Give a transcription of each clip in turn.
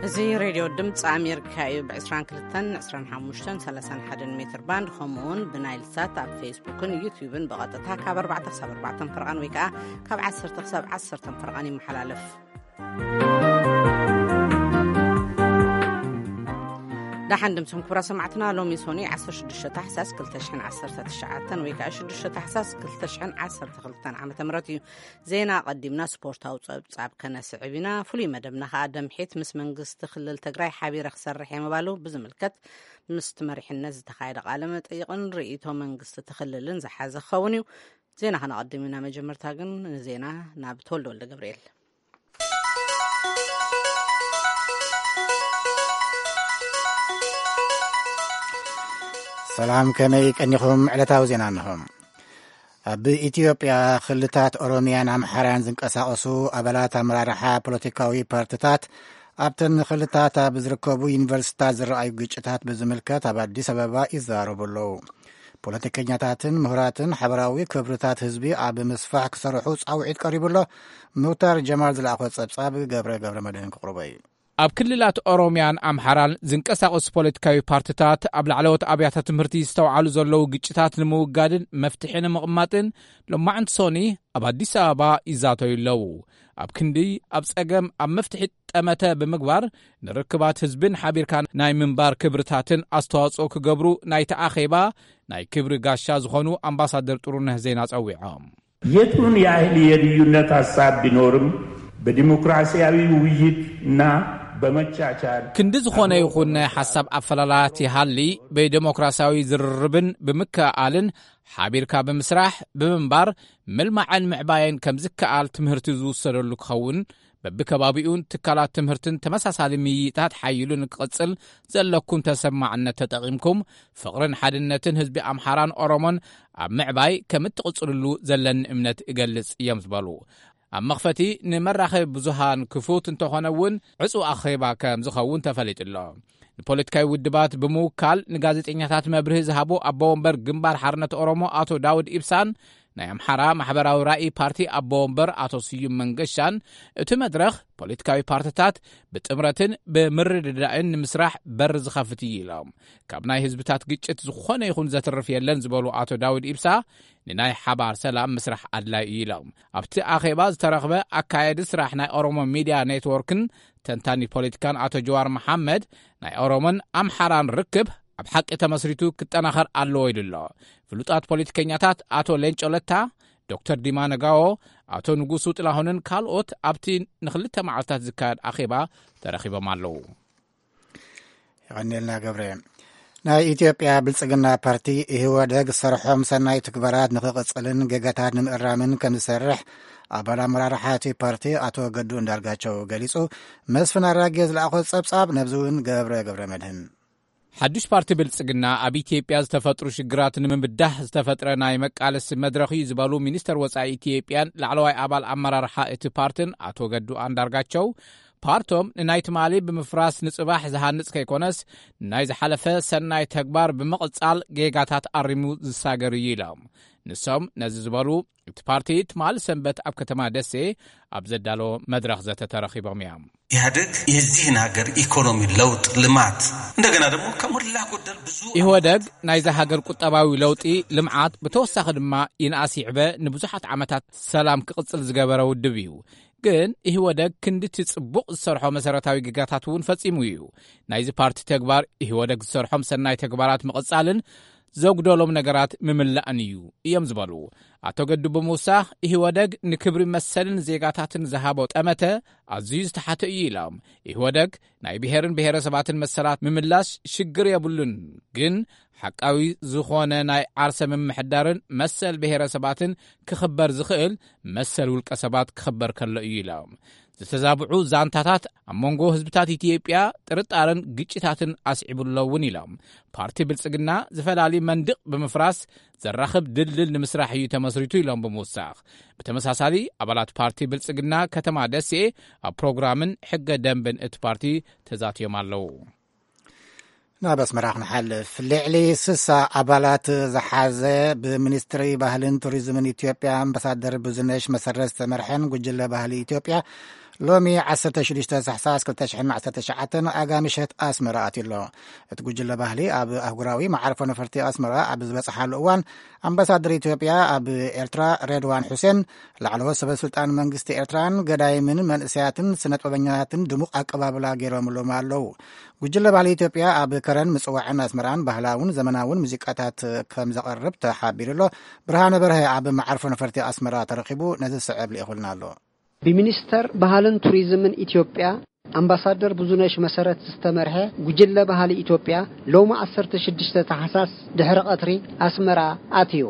እዚ ሬድዮ ድምፂ ኣሜሪካ እዩ። ብ22፣ 25፣ 31 ሜትር ባንድ፣ ከምኡውን ብናይል ሳት ኣብ ፌስቡክን ዩቲዩብን ብቐጥታ ካብ ኣርባዕተ ክሳብ ኣርባዕተ ፈርቓን ወይ ከዓ ካብ ዓሰርተ ክሳብ ዓሰርተ ፈርቓን ይመሓላለፍ። ደሓን ድምፅኹም ክቡራ ሰማዕትና። ሎሚ ሶኒ 16 ታሕሳስ 2019 ወይ ከዓ 6 ታሕሳስ 2012 ዓመተ ምህረት እዩ። ዜና ኣቐዲምና ስፖርታዊ ጸብጻብ ከነስዕብ ኢና። ፍሉይ መደብና ከኣ ደምሒት ምስ መንግስቲ ክልል ትግራይ ሓቢረ ክሰርሕ እየ ምባሉ ብዝምልከት ምስቲ መሪሕነት ዝተኻየደ ቃለ መጠይቕን ርእይቶ መንግስቲ እቲ ክልልን ዝሓዘ ክኸውን እዩ። ዜና ከነቐድም ኢና። መጀመርታ ግን ንዜና ናብ ተወልደ ወልደ ገብርኤል። ሰላም፣ ከመይ ቀኒኹም? ዕለታዊ ዜና እንሆ። ኣብ ኢትዮጵያ ክልታት ኦሮሚያን ኣምሓራን ዝንቀሳቐሱ ኣባላት ኣመራርሓ ፖለቲካዊ ፓርትታት ኣብተን ክልታት ኣብ ዝርከቡ ዩኒቨርሲታት ዝረኣዩ ግጭታት ብዝምልከት ኣብ ኣዲስ ኣበባ ይዘራረቡ ኣለዉ። ፖለቲከኛታትን ምሁራትን ሓበራዊ ክብርታት ህዝቢ ኣብ ምስፋሕ ክሰርሑ ጻውዒት ቀሪቡ ኣሎ። ሙክታር ጀማል ዝለኣኾ ጸብጻብ ገብረ ገብረ መድህን ክቕርቦ እዩ። ኣብ ክልላት ኦሮሚያን ኣምሓራን ዝንቀሳቐሱ ፖለቲካዊ ፓርትታት ኣብ ላዕለዎት ኣብያተ ትምህርቲ ዝተውዓሉ ዘለዉ ግጭታት ንምውጋድን መፍትሒ ንምቕማጥን ሎማዕንቲ ሶኒ ኣብ ኣዲስ ኣበባ ይዛተዩ ኣለዉ። ኣብ ክንዲ ኣብ ጸገም ኣብ መፍትሒ ጠመተ ብምግባር ንርክባት ህዝብን ሓቢርካ ናይ ምንባር ክብርታትን ኣስተዋጽኦ ክገብሩ ናይቲ ኣኼባ ናይ ክብሪ ጋሻ ዝኾኑ ኣምባሳደር ጥሩነህ ዜና ጸዊዖም። የቱን ያህል የልዩነት ሐሳብ ቢኖርም በዲሞክራሲያዊ ውይይት እና በመቻቻል ክንዲ ዝኾነ ይኹን ናይ ሓሳብ ኣፈላላት ይሃሊ ብዴሞክራሲያዊ ዝርርብን ብምክእኣልን ሓቢርካ ብምስራሕ ብምንባር ምልማዕን ምዕባየን ከም ዝከኣል ትምህርቲ ዝውሰደሉ ክኸውን በብከባቢኡን ትካላት ትምህርትን ተመሳሳሊ ምይይጣት ሓይሉ ንክቕጽል ዘለኩም ተሰማዕነት ተጠቒምኩም ፍቕርን ሓድነትን ህዝቢ ኣምሓራን ኦሮሞን ኣብ ምዕባይ ከም እትቕጽልሉ ዘለኒ እምነት እገልጽ እዮም ዝበሉ። ኣብ መኽፈቲ ንመራኸቢ ብዙሃን ክፉት እንተኾነ እውን ዕጹው ኣኼባ ከም ዝኸውን ተፈሊጡ ኣሎ። ንፖለቲካዊ ውድባት ብምውካል ንጋዜጠኛታት መብርሂ ዝሃቡ ኣቦ ወንበር ግንባር ሓርነት ኦሮሞ ኣቶ ዳውድ ኢብሳን ናይ ኣምሓራ ማሕበራዊ ራእይ ፓርቲ ኣቦ ወንበር ኣቶ ስዩም መንገሻን እቲ መድረኽ ፖለቲካዊ ፓርትታት ብጥምረትን ብምርድዳእን ንምስራሕ በር ዝኸፍት እዩ ኢሎም። ካብ ናይ ህዝብታት ግጭት ዝኾነ ይኹን ዘትርፍ የለን ዝበሉ ኣቶ ዳውድ ኢብሳ ንናይ ሓባር ሰላም ምስራሕ ኣድላይ እዩ ኢሎም። ኣብቲ ኣኼባ ዝተረኽበ ኣካየዲ ስራሕ ናይ ኦሮሞ ሚድያ ኔትወርክን ተንታኒ ፖለቲካን ኣቶ ጀዋር መሓመድ ናይ ኦሮሞን ኣምሓራን ርክብ ኣብ ሓቂ ተመስሪቱ ክጠናኸር ኣለዎ ኢሉ ኣሎ። ፍሉጣት ፖለቲከኛታት ኣቶ ሌንጮ ለታ፣ ዶክተር ዲማ ነጋዎ፣ ኣቶ ንጉሱ ጥላሁንን ካልኦት ኣብቲ ንክልተ መዓልታት ዝካየድ ኣኼባ ተረኺቦም ኣለዉ። የቐኒልና ገብረ። ናይ ኢትዮጵያ ብልጽግና ፓርቲ ኢህወደግ ዝሰርሖም ሰናይ ትግባራት ንክቕጽልን ገጋታት ንምእራምን ከም ዝሰርሕ ኣባል ኣመራርሓ እቲ ፓርቲ ኣቶ ገዱ እንዳርጋቸው ገሊጹ። መስፍን ኣራጌ ዝለኣኾ ጸብጻብ ነብዚ እውን ገብረ ገብረ መድህን። ሓዱሽ ፓርቲ ብልጽግና ኣብ ኢትዮጵያ ዝተፈጥሩ ሽግራት ንምብዳህ ዝተፈጥረ ናይ መቃለሲ መድረኽ እዩ ዝበሉ ሚኒስተር ወጻኢ ኢትዮጵያን ላዕለዋይ ኣባል ኣመራርሓ እቲ ፓርትን ኣቶ ገዱ ኣንዳርጋቸው ፓርቶም ንናይ ትማሊ ብምፍራስ ንጽባሕ ዝሃንጽ ከይኮነስ ናይ ዝሓለፈ ሰናይ ተግባር ብምቕጻል ጌጋታት ኣሪሙ ዝሳገር እዩ ኢሎም። ንሶም ነዚ ዝበሉ እቲ ፓርቲ ትማሊ ሰንበት ኣብ ከተማ ደሴ ኣብ ዘዳለዎ መድረኽ ዘተ ተረኺቦም እዮም። ኢህአደግ የዚህን ሀገር ኢኮኖሚ ለውጥ ልማት እንደገና ደግሞ ከሞላ ጎደል ብዙ ኢህወደግ ናይዛ ሃገር ቁጠባዊ ለውጢ ልምዓት ብተወሳኺ ድማ ይንኣስ ይዕበ ንብዙሓት ዓመታት ሰላም ክቕጽል ዝገበረ ውድብ እዩ። ግን ኢህወደግ ክንድቲ ጽቡቕ ዝሰርሖ መሰረታዊ ግጋታት እውን ፈጺሙ እዩ። ናይዚ ፓርቲ ተግባር ኢህወደግ ዝሰርሖም ሰናይ ተግባራት ምቕጻልን ዘጉደሎም ነገራት ምምላእን እዩ እዮም ዝበሉ ኣቶ ገዱ ብምውሳኽ ኢህወደግ ንክብሪ መሰልን ዜጋታትን ዝሃቦ ጠመተ ኣዝዩ ዝተሓተ እዩ ኢሎም። ኢህወደግ ናይ ብሔርን ብሔረሰባትን መሰላት ምምላስ ሽግር የብሉን፣ ግን ሓቃዊ ዝኾነ ናይ ዓርሰ ምምሕዳርን መሰል ብሔረሰባትን ክኽበር ዝኽእል መሰል ውልቀ ሰባት ክኽበር ከሎ እዩ ኢሎም። ዝተዛብዑ ዛንታታት ኣብ መንጎ ህዝብታት ኢትዮጵያ ጥርጣረን ግጭታትን ኣስዒቡ ኣሎ እውን ኢሎም። ፓርቲ ብልጽግና ዝፈላሊ መንድቕ ብምፍራስ ዘራኽብ ድልድል ንምስራሕ እዩ ተመስሪቱ ኢሎም ብምውሳኽ ብተመሳሳሊ ኣባላት ፓርቲ ብልጽግና ከተማ ደሴ ኣብ ፕሮግራምን ሕገ ደንብን እቲ ፓርቲ ተዛትዮም ኣለዉ። ናብ ኣስመራ ክንሓልፍ። ልዕሊ ስሳ ኣባላት ዝሓዘ ብሚኒስትሪ ባህልን ቱሪዝምን ኢትዮጵያ ኣምባሳደር ብዙነሽ መሰረት ዝተመርሐን ጉጅለ ባህሊ ኢትዮጵያ ሎሚ ዓሰርተ ሽዱሽተ ታሕሳስ ክልተ ሽሕን ዓሰርተ ትሽዓተን ኣጋ ምሸት ኣስመራ ኣትዩ ኣሎ። እቲ ጉጅለ ባህሊ ኣብ ኣህጉራዊ መዓርፎ ነፈርቲ ኣስመራ ኣብ ዝበጽሓሉ እዋን፣ ኣምባሳደር ኢትዮጵያ ኣብ ኤርትራ ሬድዋን ሑሴን፣ ላዕለዎት ሰበ ስልጣን መንግስቲ ኤርትራን ገዳይምን መንእሰያትን ስነጥበበኛታትን ድሙቕ ኣቀባብላ ገይሮምሎም ኣለዉ። ጉጅለ ባህሊ ኢትዮጵያ ኣብ ከረን ምጽዋዕን ኣስመራን ባህላውን ዘመናውን ሙዚቃታት ከም ዘቕርብ ተሓቢሩ ኣሎ። ብርሃነ በርሀ ኣብ መዓርፎ ነፈርቲ ኣስመራ ተረኺቡ ነዚ ዝስዕብ ልኢኹልና ኣሎ። ብሚኒስተር ባህልን ቱሪዝምን ኢትዮጵያ ኣምባሳደር ብዙነሽ መሰረት ዝተመርሐ ጉጅለ ባህሊ ኢትዮጵያ ሎሚ ዓሰርተ ሽዱሽተ ታሕሳስ ድሕሪ ቀትሪ ኣስመራ ኣትዩ።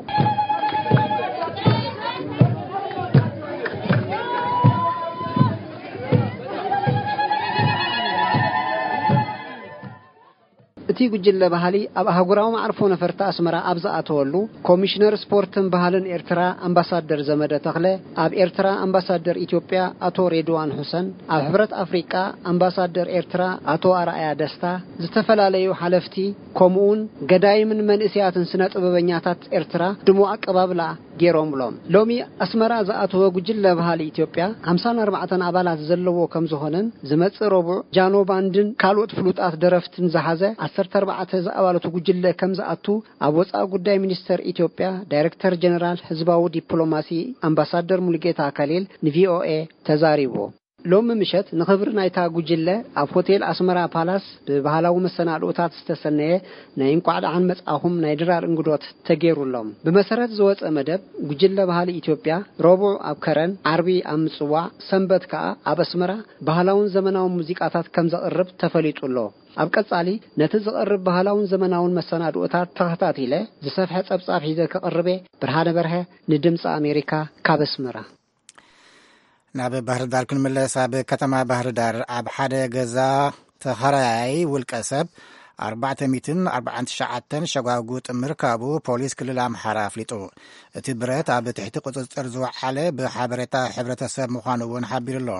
እቲ ጉጅለ ባህሊ ኣብ ኣህጉራዊ መዓርፎ ነፈርቲ ኣስመራ ኣብ ዝኣተወሉ፣ ኮሚሽነር ስፖርትን ባህልን ኤርትራ ኣምባሳደር ዘመደ ተኽለ፣ ኣብ ኤርትራ ኣምባሳደር ኢትዮጵያ ኣቶ ሬድዋን ሑሰን፣ ኣብ ሕብረት ኣፍሪቃ ኣምባሳደር ኤርትራ ኣቶ ኣርኣያ ደስታ፣ ዝተፈላለዩ ሓለፍቲ፣ ከምኡውን ገዳይምን መንእሰያትን ስነ ጥበበኛታት ኤርትራ ድሙቕ ኣቀባብላ ገይሮምሎም። ሎሚ ኣስመራ ዝኣተወ ጉጅለ ባህሊ ኢትዮጵያ ሓምሳን ኣርባዕተን ኣባላት ዘለዎ ከም ዝኾነን፣ ዝመጽእ ረቡዕ ጃኖ ባንድን ካልኦት ፍሉጣት ደረፍትን ዝሓዘ ዓሰርተ ኣርባዕተ ዝኣባላቱ ጉጅለ ከም ዝኣቱ ኣብ ወጻኢ ጉዳይ ሚኒስተር ኢትዮጵያ ዳይረክተር ጀነራል ህዝባዊ ዲፕሎማሲ ኣምባሳደር ሙሉጌታ ከሊል ንቪኦኤ ተዛሪቡ። ሎሚ ምሸት ንኽብሪ ናይታ ጉጅለ ኣብ ሆቴል ኣስመራ ፓላስ ብባህላዊ መሰናድኦታት ዝተሰነየ ናይ እንቋዕ ደሓን መጻኹም ናይ ድራር እንግዶት ተገይሩሎም። ብመሰረት ዝወጸ መደብ፣ ጉጅለ ባህሊ ኢትዮጵያ ረቡዕ ኣብ ከረን፣ ዓርቢ ኣብ ምጽዋዕ፣ ሰንበት ከኣ ኣብ ኣስመራ ባህላውን ዘመናውን ሙዚቃታት ከም ዘቕርብ ተፈሊጡ ኣሎ። ኣብ ቀጻሊ ነቲ ዝቐርብ ባህላውን ዘመናውን መሰናድኦታት ተኸታቲለ ዝሰፍሐ ጸብጻብ ሒዘ ክቕርብ እየ። ብርሃነ በርሀ ንድምጺ ኣሜሪካ ካብ ኣስመራ። ናብ ባህር ዳር ክንምለስ። ኣብ ከተማ ባህር ዳር ኣብ ሓደ ገዛ ተኸራያይ ውልቀ ሰብ ኣርባዕተ ሚእትን ኣርባዓን ትሽዓተን ሸጓጉጥ ምርካቡ ፖሊስ ክልል ኣምሓራ ኣፍሊጡ። እቲ ብረት ኣብ ትሕቲ ቁጽጽር ዝወዓለ ብሓበሬታ ሕብረተሰብ ምዃኑ እውን ሓቢሩ ኣሎ።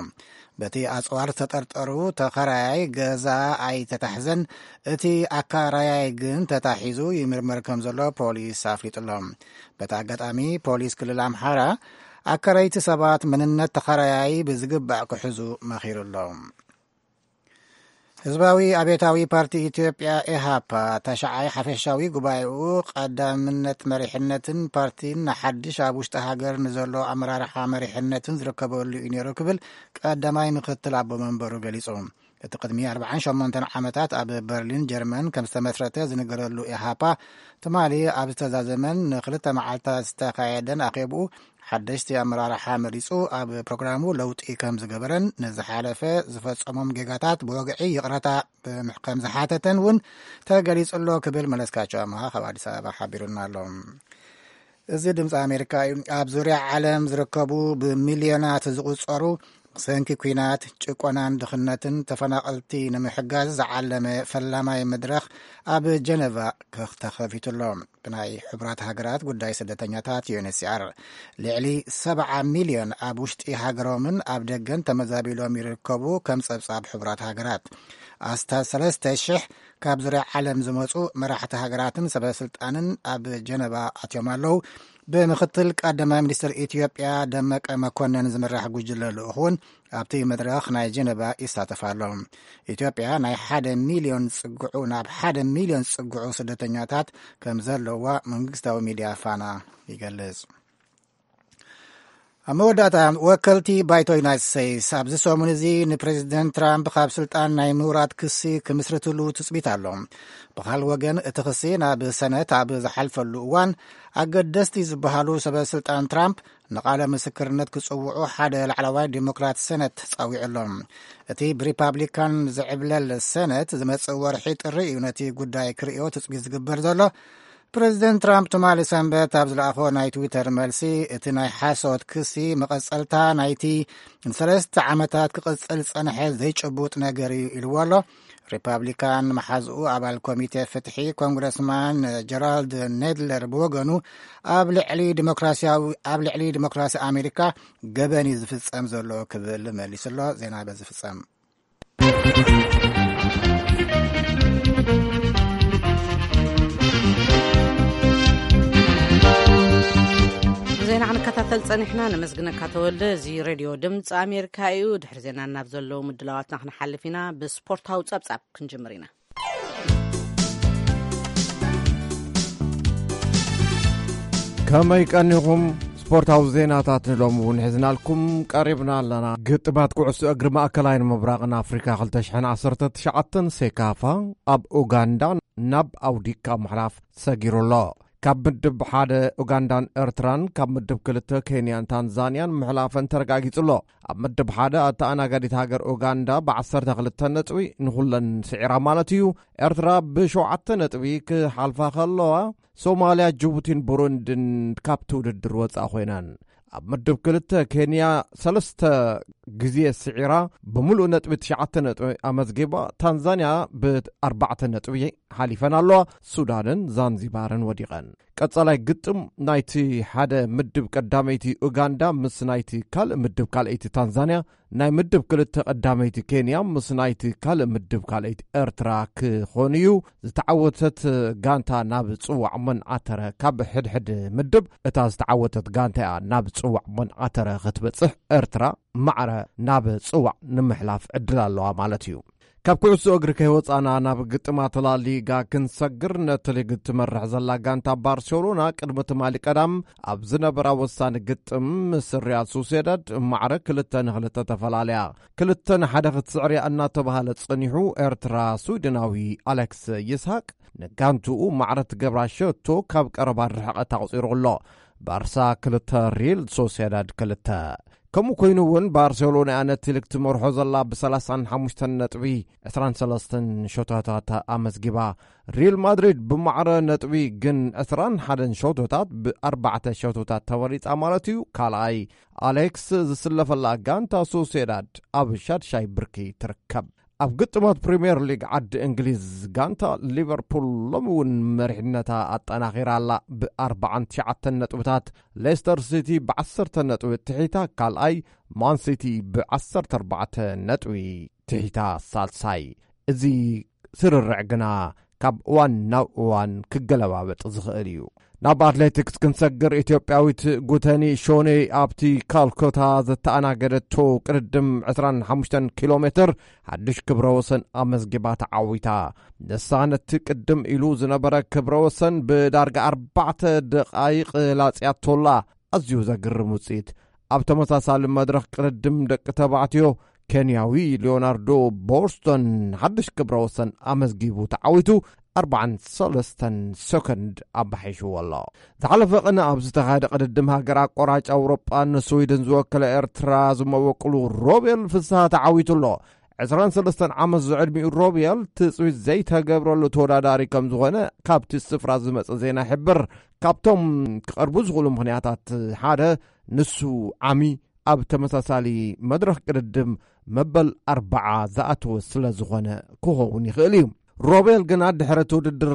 በቲ ኣጽዋር ዝተጠርጠሩ ተኸራያይ ገዛ ኣይተታሕዘን፣ እቲ ኣካራያይ ግን ተታሒዙ ይምርመር ከም ዘሎ ፖሊስ ኣፍሊጡ ኣሎ። በቲ ኣጋጣሚ ፖሊስ ክልል ኣምሓራ ኣከረይቲ ሰባት መንነት ተኸራያይ ብዝግባእ ክሕዙ መኺሩ ኣሎ። ህዝባዊ ኣብዮታዊ ፓርቲ ኢትዮጵያ፣ ኤሃፓ፣ ተሽዓይ ሓፈሻዊ ጉባኤኡ ቀዳምነት መሪሕነትን ፓርቲን ንሓድሽ ኣብ ውሽጢ ሃገር ንዘሎ ኣመራርሓ መሪሕነትን ዝርከበሉ እዩ ነይሩ ክብል ቀዳማይ ምክትል ኣቦ መንበሩ ገሊጹ። እቲ ቅድሚ ኣርባዓን ሸሞንተን ዓመታት ኣብ በርሊን ጀርመን ከም ዝተመስረተ ዝንገረሉ ኤሃፓ፣ ትማሊ ኣብ ዝተዛዘመን ንክልተ መዓልታት ዝተኻየደን ኣኼብኡ ሓደሽቲ ኣመራርሓ መሪጹ ኣብ ፕሮግራሙ ለውጢ ከም ዝገበረን ንዝሓለፈ ዝፈጸሞም ጌጋታት ብወግዒ ይቕረታ ብምሕ-፣ ከም ዝሓተተን እውን ተገሊጹ ኣሎ ክብል መለስካቸው ኣምሃ ካብ ኣዲስ ኣበባ ሓቢሩና ኣሎ። እዚ ድምፂ ኣሜሪካ እዩ። ኣብ ዙርያ ዓለም ዝርከቡ ብሚልዮናት ዝቑጸሩ ብሰንኪ ኲናት፣ ጭቆናን ድኽነትን ተፈናቐልቲ ንምሕጋዝ ዝዓለመ ፈላማይ መድረኽ ኣብ ጀነቫ ክኽ-፣ ተኸፊቱ ኣሎ። ብናይ ሕቡራት ሃገራት ጉዳይ ስደተኛታት፣ ዩ ኤን ኤች ሲ ኣር፣ ልዕሊ ሰብዓ ሚልዮን ኣብ ውሽጢ ሃገሮምን ኣብ ደገን ተመዛቢሎም ይርከቡ፣ ከም ጸብጻብ ሕቡራት ሃገራት። ኣስታት ሰለስተ ሽሕ ካብ ዙርያ ዓለም ዝመጹ መራሕቲ ሃገራትን ሰበ ስልጣንን ኣብ ጀነቫ ኣትዮም ኣለዉ። ብምክትል ቀዳማይ ሚኒስትር ኢትዮጵያ ደመቀ መኮነን ዝምራሕ ጉጅለ ልኡኽ እውን ኣብቲ መድረኽ ናይ ጀነቫ ይሳተፍ ኣሎ። ኢትዮጵያ ናይ ሓደ ሚልዮን ዝጽግዑ፣ ናብ ሓደ ሚልዮን ዝጽግዑ ስደተኛታት ከም ዘለዋ መንግስታዊ ሚድያ ፋና ይገልጽ። ኣብ መወዳእታ፣ ወከልቲ ባይቶ ዩናይትድ ስቴትስ ኣብዚ ሰሙን እዚ ንፕሬዚደንት ትራምፕ ካብ ስልጣን ናይ ምውራድ ክሲ ክምስርትሉ ትጽቢት ኣሎ። ብኻል ወገን፣ እቲ ክሲ ናብ ሰነት ኣብ ዝሓልፈሉ እዋን፣ ኣገደስቲ ዝበሃሉ ሰበ ስልጣን ትራምፕ ንቓለ ምስክርነት ክጽውዑ ሓደ ላዕለዋይ ዲሞክራት ሰነት ጸዊዑ ኣሎ። እቲ ብሪፓብሊካን ዝዕብለል ሰነት ዝመጽእ ወርሒ ጥሪ እዩ ነቲ ጉዳይ ክርእዮ ትጽቢት ዝግበር ዘሎ። ፕሬዚደንት ትራምፕ ትማሊ ሰንበት ኣብ ዝለኣኾ ናይ ትዊተር መልሲ፣ እቲ ናይ ሓሶት ክሲ መቐጸልታ ናይቲ ንሰለስተ ዓመታት ክቕጽል ዝጸንሐ ዘይጭቡጥ ነገር እዩ ኢልዎ ኣሎ። ሪፓብሊካን መሓዝኡ ኣባል ኮሚቴ ፍትሒ ኮንግረስማን ጀራልድ ኔድለር ብወገኑ፣ ኣብ ልዕሊ ዲሞክራሲያዊ፣ ኣብ ልዕሊ ዲሞክራሲ ኣሜሪካ ገበን እዩ ዝፍጸም ዘሎ ክብል መሊሱ ኣሎ። ዜና በዚ ፍጸም። ዜና ክንከታተል ጸኒሕና። ነመስግነካ ተወልደ። እዚ ሬድዮ ድምፂ ኣሜሪካ እዩ። ድሕሪ ዜና ናብ ዘለዉ ምድላዋትና ክንሓልፍ ኢና። ብስፖርታዊ ጸብጻብ ክንጅምር ኢና። ከመይ ቀኒኹም? ስፖርታዊ ዜናታት ንሎሚ እውን ሒዝናልኩም ቀሪብና ኣለና። ግጥማት ኩዕሶ እግሪ ማእከላይን ምብራቕን ኣፍሪካ ክልተ ሽሕን ዓሰርተ ትሽዓተን ሴካፋ ኣብ ኡጋንዳ ናብ ኣውዲካ ምሕላፍ ሰጊሩ ኣሎ። ካብ ምድብ ሓደ ኡጋንዳን ኤርትራን ካብ ምድብ ክልተ ኬንያን ታንዛንያን ምሕላፈን ተረጋጊጹ ኣሎ። ኣብ ምድብ ሓደ ኣተኣናጋዲት ሃገር ኡጋንዳ ብዓሰርተ ክልተ ነጥቢ ንኹለን ስዒራ ማለት እዩ። ኤርትራ ብሸውዓተ ነጥቢ ክሓልፋ ከለዋ፣ ሶማልያ፣ ጅቡቲን ቡሩንድን ካብቲ ውድድር ወጻኢ ኮይነን። ኣብ ምድብ ክልተ ኬንያ ሰለስተ ግዜ ስዒራ ብምሉእ ነጥቢ ትሽዓተ ነጥቢ ኣመዝጊባ። ታንዛንያ ብኣርባዕተ ነጥቢ ሓሊፈን ኣለዋ። ሱዳንን ዛንዚባርን ወዲቐን። ቀጻላይ ግጥም ናይቲ ሓደ ምድብ ቀዳመይቲ ኡጋንዳ ምስ ናይቲ ካልእ ምድብ ካልኣይቲ ታንዛንያ፣ ናይ ምድብ ክልተ ቀዳመይቲ ኬንያ ምስ ናይቲ ካልእ ምድብ ካልኣይቲ ኤርትራ ክኾን እዩ። ዝተዓወተት ጋንታ ናብ ጽዋዕ መን ኣተረ። ካብ ሕድሕድ ምድብ እታ ዝተዓወተት ጋንታ እያ ናብ ጽዋዕ መን ኣተረ ክትበጽሕ። ኤርትራ ማዕረ ናብ ጽዋዕ ንምሕላፍ ዕድል ኣለዋ ማለት እዩ። ካብ ኩዕሶ እግሪ ከይወጻና ናብ ግጥማት ላሊጋ ክንሰግር፣ ነቲ ሊግ ትመርሕ ዘላ ጋንታ ባርሴሎና ቅድሚ ትማሊ ቀዳም ኣብ ዝነበራ ወሳኒ ግጥም ምስ ሪያል ሶሴዳድ ማዕረ ክልተ ንክልተ ተፈላለያ። ክልተ ንሓደ ክትስዕር እያ እናተባህለ ጸኒሑ፣ ኤርትራ ስዊድናዊ ኣሌክስ ይስሃቅ ንጋንትኡ ማዕረ ትገብራ ሸቶ ካብ ቀረባ ርሕቀት ኣቑጺሩ ኣሎ። ባርሳ ክልተ፣ ሪል ሶሴዳድ ክልተ። ከምኡ ኮይኑ እውን ባርሴሎና እያ ነቲ ሊግ ትመርሖ ዘላ ብሰላሳን ሓሙሽተን ነጥቢ ዕስራን ሰለስተን ሸቶታት ኣመዝጊባ። ሪል ማድሪድ ብማዕረ ነጥቢ ግን ዕስራን ሓደን ሸቶታት ብኣርባዕተ ሸቶታት ተበሊጻ ማለት እዩ። ካልኣይ ኣሌክስ ዝስለፈላ ጋንታ ሶሴዳድ ኣብ ሻድሻይ ብርኪ ትርከብ። ኣብ ግጥማት ፕሪምየር ሊግ ዓዲ እንግሊዝ ጋንታ ሊቨርፑል ሎሚ እውን መሪሕነታ ኣጠናኺራ ኣላ። ብኣርባዓን ትሽዓተን ነጥብታት ሌስተር ሲቲ ብዓሰርተ ነጥቢ ትሒታ ካልኣይ፣ ማን ሲቲ ብዓሰርተ ኣርባዕተ ነጥቢ ትሒታ ሳልሳይ። እዚ ስርርዕ ግና ካብ እዋን ናብ እዋን ክገለባበጥ ዝኽእል እዩ። ናብ ኣትሌቲክስ ክንሰግር፣ ኢትዮጵያዊት ጉተኒ ሾኔ ኣብቲ ካልኮታ ዘተኣናገደቶ ቅድድም ዕስራን ሓሙሽተን ኪሎ ሜትር ሓድሽ ክብረ ወሰን ኣመዝጊባ ተዓዊታ። ንሳ ነቲ ቅድም ኢሉ ዝነበረ ክብረ ወሰን ብዳርጋ ኣርባዕተ ደቓይቕ ላጽያቶላ። ኣዝዩ ዘግርም ውጽኢት። ኣብ ተመሳሳሊ መድረኽ ቅድድም ደቂ ተባዕትዮ፣ ኬንያዊ ሊዮናርዶ ቦስቶን ሓድሽ ክብረ ወሰን ኣመዝጊቡ ተዓዊቱ ኣርባዓን ሰለስተን ሰኮንድ ኣባሒሽዎ ኣሎ። ዝሓለፈ ቅነ ኣብ ዝተኻየደ ቅድድም ሃገር ኣቋራጭ ኣውሮጳ ንስዊድን ዝወከለ ኤርትራ ዝመበቅሉ ሮቤል ፍስሃ ተዓዊቱ ኣሎ። ዕስራን ሰለስተን ዓመት ዝዕድሚኡ ሮቤል ትጽቢት ዘይተገብረሉ ተወዳዳሪ ከም ዝኾነ ካብቲ ስፍራ ዝመጸ ዜና ይሕብር። ካብቶም ክቐርቡ ዝኽእሉ ምኽንያታት ሓደ ንሱ ዓሚ ኣብ ተመሳሳሊ መድረኽ ቅድድም መበል ኣርባዓ ዝኣተወ ስለ ዝኾነ ክኸውን ይኽእል እዩ። ሮቤል ግና ድሕሪ እቲ ውድድር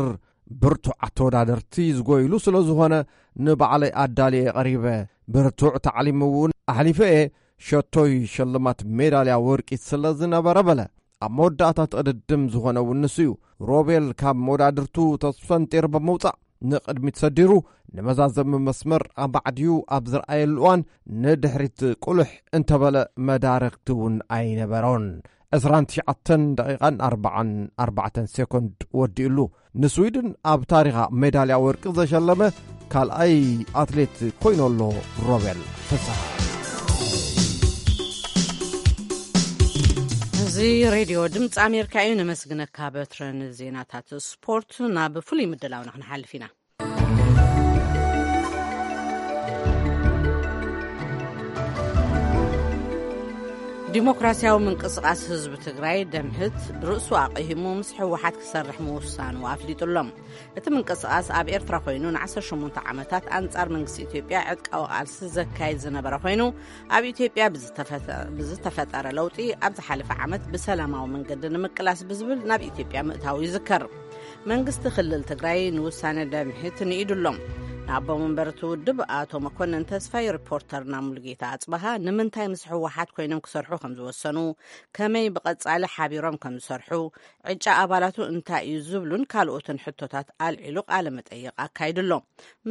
ብርቱዕ ኣተወዳደርቲ ዝጎይሉ ስለ ዝኾነ፣ ንባዕለይ ኣዳልየ ቀሪበ፣ ብርቱዕ ታዕሊም እውን ኣሕሊፈ እየ። ሸቶይ ሽልማት ሜዳልያ ወርቂ ስለ ዝነበረ በለ። ኣብ መወዳእታ እቲ ቅድድም ዝኾነ እውን ንሱ እዩ። ሮቤል ካብ መወዳድርቱ ተስፈንጢር ብምውጻእ ንቕድሚት ሰዲሩ፣ ንመዛዘሚ መስመር ኣባዕድዩ ኣብ ዝረኣየሉ እዋን ንድሕሪት ቁልሕ እንተበለ መዳርግቲ እውን ኣይነበሮን። ዕስራን ትሽዓተን ደቂቓን ኣርባዓን ኣርባዕተን ሴኮንድ ወዲኡሉ። ንስዊድን ኣብ ታሪኻ ሜዳልያ ወርቂ ዘሸለመ ካልኣይ ኣትሌት ኮይኑ ኣሎ ሮቤል ፍስሃ። እዚ ሬድዮ ድምፂ ኣሜሪካ እዩ። ነመስግነካ በትረ። ንዜናታት ስፖርት ናብ ፍሉይ ምድላውና ክንሓልፍ ኢና። ዲሞክራሲያዊ ምንቅስቓስ ህዝቢ ትግራይ፣ ደምህት፣ ርእሱ ኣቕሂሙ ምስ ህወሓት ክሰርሕ ምውሳኑ ኣፍሊጡ ኣሎ። እቲ ምንቅስቓስ ኣብ ኤርትራ ኮይኑ ንዓሰርተ ሸሞንተ ዓመታት ኣንጻር መንግስቲ ኢትዮጵያ ዕጥቃዊ ቃልሲ ዘካይድ ዝነበረ ኮይኑ፣ ኣብ ኢትዮጵያ ብዝተፈተ-፣ ብዝተፈጠረ ለውጢ ኣብ ዝሓለፈ ዓመት ብሰላማዊ መንገዲ ንምቅላስ ብዝብል ናብ ኢትዮጵያ ምእታው ይዝከር። መንግስቲ ክልል ትግራይ ንውሳነ ደምሒት ንኢዱ ኣሎ። ኣቦ መንበር እቲ ውድብ ኣቶ መኮነን ተስፋይ ሪፖርተርና ሙሉጌታ ኣጽበሃ ንምንታይ ምስ ህወሓት ኮይኖም ክሰርሑ ከም ዝወሰኑ፣ ከመይ ብቐጻሊ ሓቢሮም ከም ዝሰርሑ፣ ዕጫ ኣባላቱ እንታይ እዩ ዝብሉን ካልኦትን ሕቶታት ኣልዒሉ ቃለ መጠይቕ ኣካይዱ ኣሎ።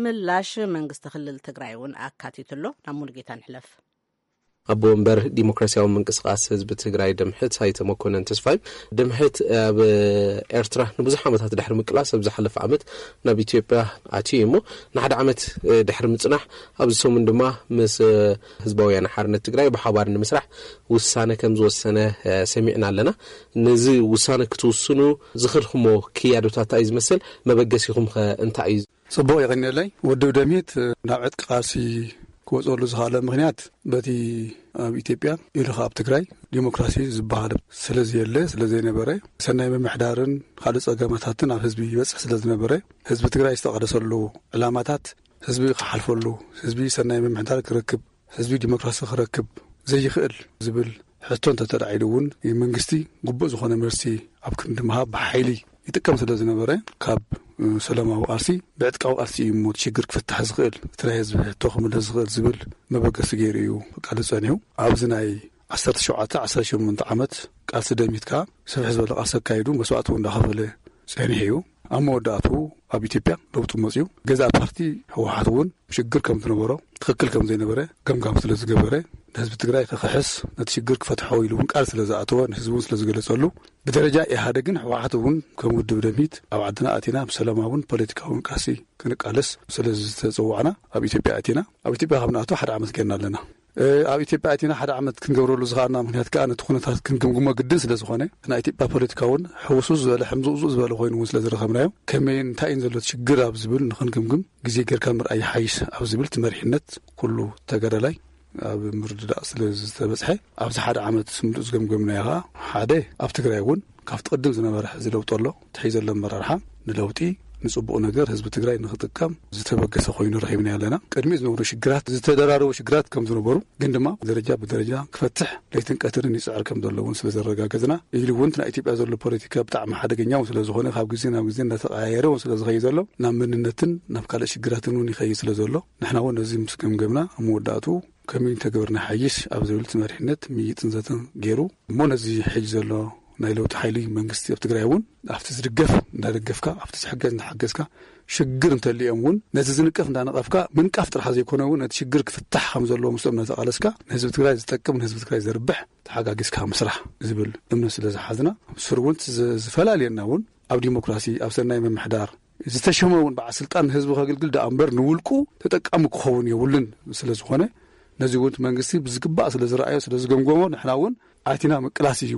ምላሽ መንግስቲ ክልል ትግራይ እውን ኣካቲቱ ኣሎ። ናብ ሙሉጌታ ንሕለፍ። ኣቦ ወንበር ዲሞክራሲያዊ ምንቅስቃስ ህዝቢ ትግራይ ድምሕት ኣይተ መኮነን ተስፋይ፣ ድምሕት ኣብ ኤርትራ ንብዙሕ ዓመታት ድሕሪ ምቅላስ ኣብ ዝሓለፈ ዓመት ናብ ኢትዮጵያ ኣትዩ እዩ እሞ፣ ንሓደ ዓመት ድሕሪ ምጽናሕ ኣብዚ ሰሙን ድማ ምስ ህዝባውያን ሓርነት ትግራይ ብሓባር ንምስራሕ ውሳነ ከም ዝወሰነ ሰሚዕና ኣለና። ነዚ ውሳነ ክትውስኑ ዝኸድኩሞ ክያዶታት እንታይ እዩ ዝመስል? መበገሲኹም ኸ እንታይ እዩ? ጽቡቕ የቐንየለይ። ውድብ ደምሂት ናብ ዕጥቂ ቃልሲ ክወጸሉ ዝኽኣለ ምኽንያት በቲ ኣብ ኢትዮጵያ ኢሉ ኸኣ ኣብ ትግራይ ዲሞክራሲ ዝበሃል ስለ ዘየለ፣ ስለ ዘይነበረ፣ ሰናይ ምምሕዳርን ካልእ ጸገማታትን ኣብ ህዝቢ ይበጽሕ ስለ ዝነበረ፣ ህዝቢ ትግራይ ዝተቐደሰሉ ዕላማታት ህዝቢ ክሓልፈሉ፣ ህዝቢ ሰናይ ምምሕዳር ክረክብ፣ ህዝቢ ዲሞክራሲ ክረክብ ዘይኽእል ዝብል ሕቶ እንተተላዒሉ እውን፣ መንግስቲ ግቡእ ዝኾነ መልሲ ኣብ ክንዲ ምሃብ ብሓይሊ ይጥቀም ስለ ዝነበረ፣ ካብ ሰላማዊ ቃልሲ ብዕጥቃዊ ቃልሲ እዩ እሞ እቲ ሽግር ክፍታሕ ዝኽእል፣ እቲ ናይ ህዝቢ ሕቶ ክምለስ ዝኽእል ዝብል መበገሲ ገይሩ እዩ ክቃለስ ጸኒሑ። ኣብዚ ናይ ዓሰርተ ሸውዓተ ዓሰርተ ሸሞንተ ዓመት ቃልሲ ደሚት ከኣ ስፍሕ ዝበለ ቃልሲ ኣካይዱ መስዋእቲ እውን እንዳኸፈለ ጸኒሑ እዩ። ኣብ መወዳእቱ ኣብ ኢትዮጵያ ለውጢ መጽዩ። ገዛእ ፓርቲ ህወሓት እውን ሽግር ከም ዝነበሮ፣ ትኽክል ከም ዘይነበረ ገምጋም ስለ ዝገበረ፣ ንህዝቢ ትግራይ ክኽሕስ፣ ነቲ ሽግር ክፈትሖ ኢሉ እውን ቃል ስለ ዝኣተወ፣ ንህዝቢ እውን ስለ ዝገለጸሉ፣ ብደረጃ ኢህኣደግን ህወሓት እውን ከም ውድብ ደምሂት ኣብ ዓድና ኣቲና ብሰላማውን ፖለቲካውን ቃልሲ ክንቃለስ ስለ ዝተጸዋዕና ኣብ ኢትዮጵያ ኣቲና። ኣብ ኢትዮጵያ ካብ ንኣቱ ሓደ ዓመት ጌርና ኣለና። እ፣ ኣብ ኢትዮጵያ ኣቲና ሓደ ዓመት ክንገብረሉ ዝኸኣልና ምኽንያት ከኣ ነቲ ኩነታት ክንግምግሞ ግድን ስለ ዝኾነ፣ ናይ ኢትዮጵያ ፖለቲካ እውን ሕውስውስ ዝበለ፣ ሕምዝውዝው ዝበለ ኮይኑ እውን ስለ ዝረኸብናዮ፣ ከመይን እንታይን ዘሎ ሽግር ኣብ ዝብል ንኽንግምግም ግዜ ጌርካ ምርኣይ ይሓይሽ ኣብ ዝብል እቲ መሪሕነት ኩሉ ተጋዳላይ ኣብ ምርድዳእ ስለ ዝተበጽሐ፣ ኣብዚ ሓደ ዓመት ምሉእ ዝገምገምናዮ ኸኣ፣ ሓደ፣ ኣብ ትግራይ እውን ካብቲ ቅድም ዝነበረ ሕዚ ለውጢ ኣሎ። እቲ ሕዚ ዘሎ ኣመራርሓ ንለውጢ፣ ንጽቡቕ ነገር ህዝቢ ትግራይ ንኽጥቀም ዝተበገሰ ኮይኑ ረኺብናዮ ኣለና። ቅድሚ ዝነበሩ ሽግራት፣ ዝተደራረቡ ሽግራት ከም ዝነበሩ፣ ግን ድማ ደረጃ ብደረጃ ክፈትሕ ለይትን ቀትርን ይጽዕር ከም ዘሎ እውን ስለ ዘረጋገጽና፣ ኢሉ እውን እቲ ናይ ኢትዮጵያ ዘሎ ፖለቲካ ብጣዕሚ ሓደገኛ እውን ስለ ዝኾነ፣ ካብ ግዜ ናብ ግዜ እንዳተቐያየረ እውን ስለ ዝኸይድ ዘሎ፣ ናብ መንነትን ናብ ካልእ ሽግራትን እውን ይኸይድ ስለ ዘሎ፣ ንሕና እውን ነዚ ምስ ገምገምና፣ ኣብ መወዳእቱ ከመይ እንተገበርና ይሓይሽ ኣብ ዝብል እቲ መሪሕነት ምይይጥን ዘተን ገይሩ እሞ፣ ነዚ ሕጂ ዘሎ ናይ ለውጢ ሓይሊ መንግስቲ ኣብ ትግራይ እውን ኣብቲ ዝድገፍ እንዳደገፍካ፣ ኣብቲ ዝሕገዝ እንዳሓገዝካ፣ ሽግር እንተልዮም እውን ነቲ ዝንቀፍ እንዳነቐፍካ፣ ምንቃፍ ጥራሕ ዘይኮነ እውን ነቲ ሽግር ክፍታሕ ከም ዘለዎ ምስኦም እናተቓለስካ፣ ንህዝቢ ትግራይ ዝጠቅም፣ ንህዝቢ ትግራይ ዘርብሕ ተሓጋጊዝካ ምስራሕ ዝብል እምነት ስለ ዝሓዝና፣ ስር እውን ዝ-፣ ዝፈላልየና እውን ኣብ ዲሞክራሲ፣ ኣብ ሰናይ ምምሕዳር፣ ዝተሸመ እውን በዓል ስልጣን ንህዝቢ ከግልግል ደኣ እምበር ንውልቁ ተጠቃሚ ክኸውን የብሉን ስለ ዝኾነ፣ ነዚ እውን እቲ መንግስቲ ብዝግባእ ስለ ዝረኣዮ፣ ስለ ዝገምገሞ፣ ንሕና እውን ኣቲና ምቅላስ እዩ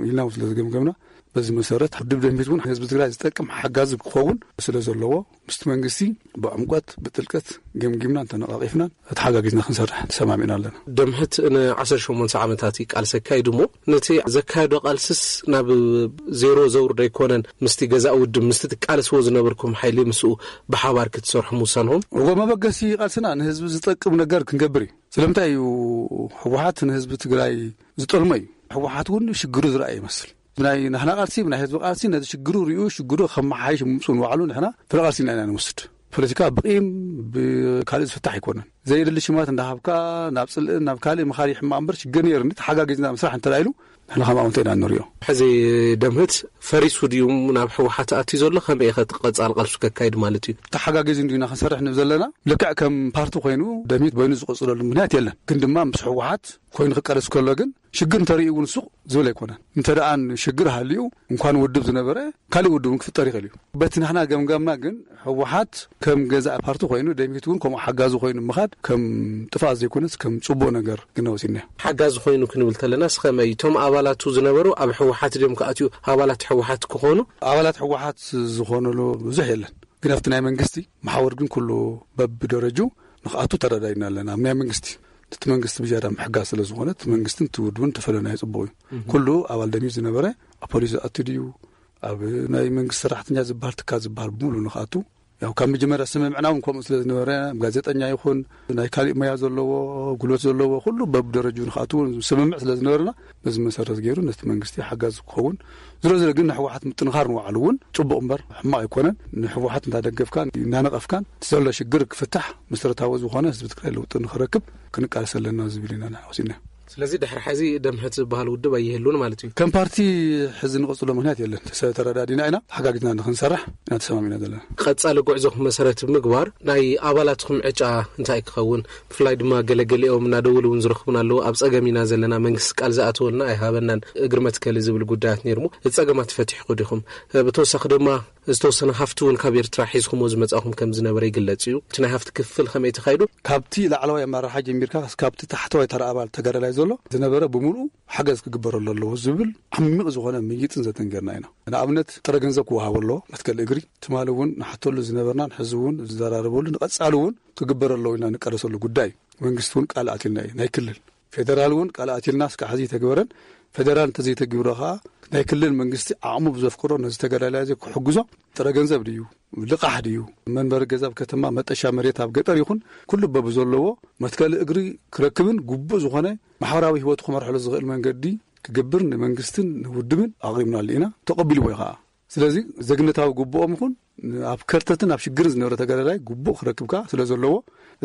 ኢልና እውን ስለ ዝገምገምና፣ በዚ መሰረት ውድብ ደምሂት እውን ህዝቢ ትግራይ ዝጠቅም ሓጋዚ ክኸውን ስለ ዘለዎ፣ ምስቲ መንግስቲ ብዕምቆት ብጥልቀት ገምጊምናን ተነቓቒፍናን ተተሓጋጊዝና ክንሰርሕ ተሰማሚዕና ኣለና። ደምሕት ንዓሰርተ ሸሞንተ ዓመታት እዩ ቃልሲ ኣካይዱ እሞ፣ ነቲ ዘካየዶ ቃልስስ ናብ ዜሮ ዘውርዶ ኣይኮነን? ምስቲ ገዛእ ውድብ፣ ምስቲ ትቃለስዎ ዝነበርኩም ሓይሊ፣ ምስኡ ብሓባር ክትሰርሑ ምውሳንኹም? እዎ፣ መበገሲ ቃልስና ንህዝቢ ዝጠቅም ነገር ክንገብር እዩ። ስለምንታይ እዩ ህወሓት ንህዝቢ ትግራይ ዝጠልሞ እዩ? ህወሓት እውን ሽግሩ ዝረኣየ ይመስል። ናይ ናህና ቃልሲ፣ ናይ ህዝቢ ቃልሲ ነዚ ሽግሩ ሪኡ፣ ሽግሩ ከመሓይሽ ምምፅኡ ንባዕሉ ንሕና ፍረ ቃልሲ ኢና፣ ኢና ንወስድ። ፖለቲካ ብቂም ብካልእ ዝፍታሕ ኣይኮነን። ዘየድሊ ሽማት እንዳሃብካ ናብ ጽልእን ናብ ካልእ ምኻድ ይሕማቕ እምበር፣ ሽግር ነይሩ እንዲ ተሓጋጊዝና ምስራሕ እንተ ኢሉ፣ ንሕና ከም ኣወንታ ኢና ንሪኦ። ሕዚ ደምህት ፈሪሱ ድዩ ናብ ህወሓት ኣትዩ ዘሎ? ከመይ ኢኸ እቲ ቀጻሊ ቃልሱ ከካይድ ማለት እዩ? ተሓጋጊዙ እንዲና ክንሰርሕ ንብል ዘለና። ልክዕ ከም ፓርቲ ኮይኑ ደምህት በይኑ ዝቕጽለሉ ምኽንያት የለን። ግን ድማ ምስ ህወሓት ኮይኑ ክቃለስ ከሎ ግን ሽግር እንተርእዩ እውን ሱቕ ዝብል ኣይኮነን። እንተ ደኣ ሽግር ሃልዩ እንኳን ውድብ ዝነበረ ካልእ ውድብ እውን ክፍጠር ይኽእል እዩ። በቲ ንሕና ገምጋምና ግን ህወሓት ከም ገዛእ ፓርቲ ኮይኑ ደምህት እውን ከምኡ ሓጋዚ ኮይኑ ምኻድ ከም ጥፋት ዘይኮነስ ከም ጽቡቕ ነገር ግና ወሲድናዮ። ሓጋዚ ኮይኑ ክንብል ተለና ስኸመይ እቶም ኣባላቱ ዝነበሩ ኣብ ህወሓት ድዮም ክኣትዩ ኣባላት ህወሓት ክኾኑ? ኣባላት ህወሓት ዝኾነሉ ብዙሕ የለን። ግን ኣብቲ ናይ መንግስቲ መሓውር ግን ኩሉ በብደረጁ ንኽኣቱ ተረዳዲና ኣለና። ኣብ ናይ መንግስቲ እቲ መንግስቲ ብዝያዳ ምሕጋዝ ስለ ዝኾነ እቲ መንግስትን እቲ ውድብን ተፈለናዮ ጽቡቕ እዩ። እህ። ኩሉ ኣባል ደምህት ዝነበረ ኣብ ፖሊስ ዝኣቱ ድዩ፣ ኣብ ናይ መንግስቲ ሰራሕተኛ ዝበሃል ትካል ዝበሃል ብምሉ ንኽኣቱ ያው ካብ መጀመርያ ስምምዕና እውን ከምኡ ስለ ዝነበረ፣ ጋዜጠኛ ይኹን ናይ ካሊእ ሞያ ዘለዎ፣ ጉልበት ዘለዎ፣ ኩሉ በብደረጅኡ ንኽኣትው እውን ስምምዕ ስለ ዝነበረና፣ በዚ መሰረት ገይሩ ነቲ መንግስቲ ሓጋዚ ክኸውን፣ ዝሮ ዝሮ ግን ንሕወሓት ምጥንኻር ንባዕሉ እውን ጽቡቕ እምበር ሕማቕ ኣይኮነን። ንሕወሓት እንዳደገፍካን እንዳነቐፍካን እቲ ዘሎ ሽግር ክፍታሕ፣ መሰረታዊ ዝኾነ ህዝቢ ትግራይ ለውጢ ንኽረክብ ክንቃለስ ኣለና ዝብል ኢና ንሕና ወሲድና። ስለዚ ድሕሪ ሕዚ ደምህት ዝበሃል ውድብ ኣይህሉን ማለት እዩ። ከም ፓርቲ ሕዚ ንቐጽሎ ምኽንያት የለን። ተሰ-፣ ተረዳዲና ኢና፣ ተሓጋጊዝና ንኽንሰርሕ ኢና ተሰማሚና ዘለና። ቀጻሊ ጉዕዞኹም መሰረት ብምግባር ናይ ኣባላትኩም ዕጫ እንታይ ክኸውን፣ ብፍላይ ድማ ገለገሊኦም እናደወሉ እውን ዝረኽቡን ኣለዉ። ኣብ ጸገም ኢና ዘለና፣ መንግስቲ ቃል ዝኣተወልና ኣይሃበናን፣ እግሪ መትከሊ ዝብል ጉዳያት ነይርሞ፣ እቲ ጸገማት ፈቲሕኩ ዲኹም? ብተወሳኺ ድማ ዝተወሰነ ሃፍቲ እውን ካብ ኤርትራ ሒዝኩሞ ዝመጻኹም ከም ዝነበረ ይግለጽ እዩ። እቲ ናይ ሃፍቲ ክፍል ከመይ ተኻይዱ? ካብቲ ላዕለዋይ ኣመራርሓ ጀሚርካ እስካብቲ ታሕተዋይ ተራ ኣባል ተጋዳላይ ዘሎ ዝነበረ ብምሉኡ ሓገዝ ክግበረሉ ኣለዎ ዝብል ዓሚቕ ዝኾነ ምይጥን ዘተን ጌርና ኢና። ንኣብነት ጥረ ገንዘብ ክወሃቦ ኣለዎ፣ መትከል እግሪ። ትማሊ እውን ንሓተሉ ዝነበርናን ሕዚ እውን ዝዘራረበሉ ንቐጻሊ እውን ክግበር ኣለዎ ኢልና ንቃለሰሉ ጉዳይ። መንግስቲ እውን ቃል ኣትልና እዩ፣ ናይ ክልል ፌደራል እውን ቃል ኣትልና እስካዕ ሕዚ ኣይተግበረን። ፌደራል እንተዘይተግብሮ ኸዓ ናይ ክልል መንግስቲ ዓቕሙ ብዘፍቅዶ ነዚ ተጋዳላይ እዚ ክሕግዞ ጥረ ገንዘብ ድዩ፣ ልቓሕ ድዩ፣ መንበሪ ገዛ ኣብ ከተማ፣ መጠሻ መሬት ኣብ ገጠር ይኹን ኩሉ በብዘለዎ መትከሊ እግሪ ክረክብን ግቡእ ዝኾነ ማሕበራዊ ህይወቱ ክመርሐሉ ዝኽእል መንገዲ ክገብር ንመንግስትን ንውድብን ኣቕሪብናሉ ኢና። ተቐቢልዎ እዩ ኸዓ። ስለዚ ዜግነታዊ ግቡኦም ይኹን ኣብ ከርተትን ኣብ ሽግርን ዝነበረ ተጋዳላይ ግቡእ ክረክብ ከኣ ስለ ዘለዎ፣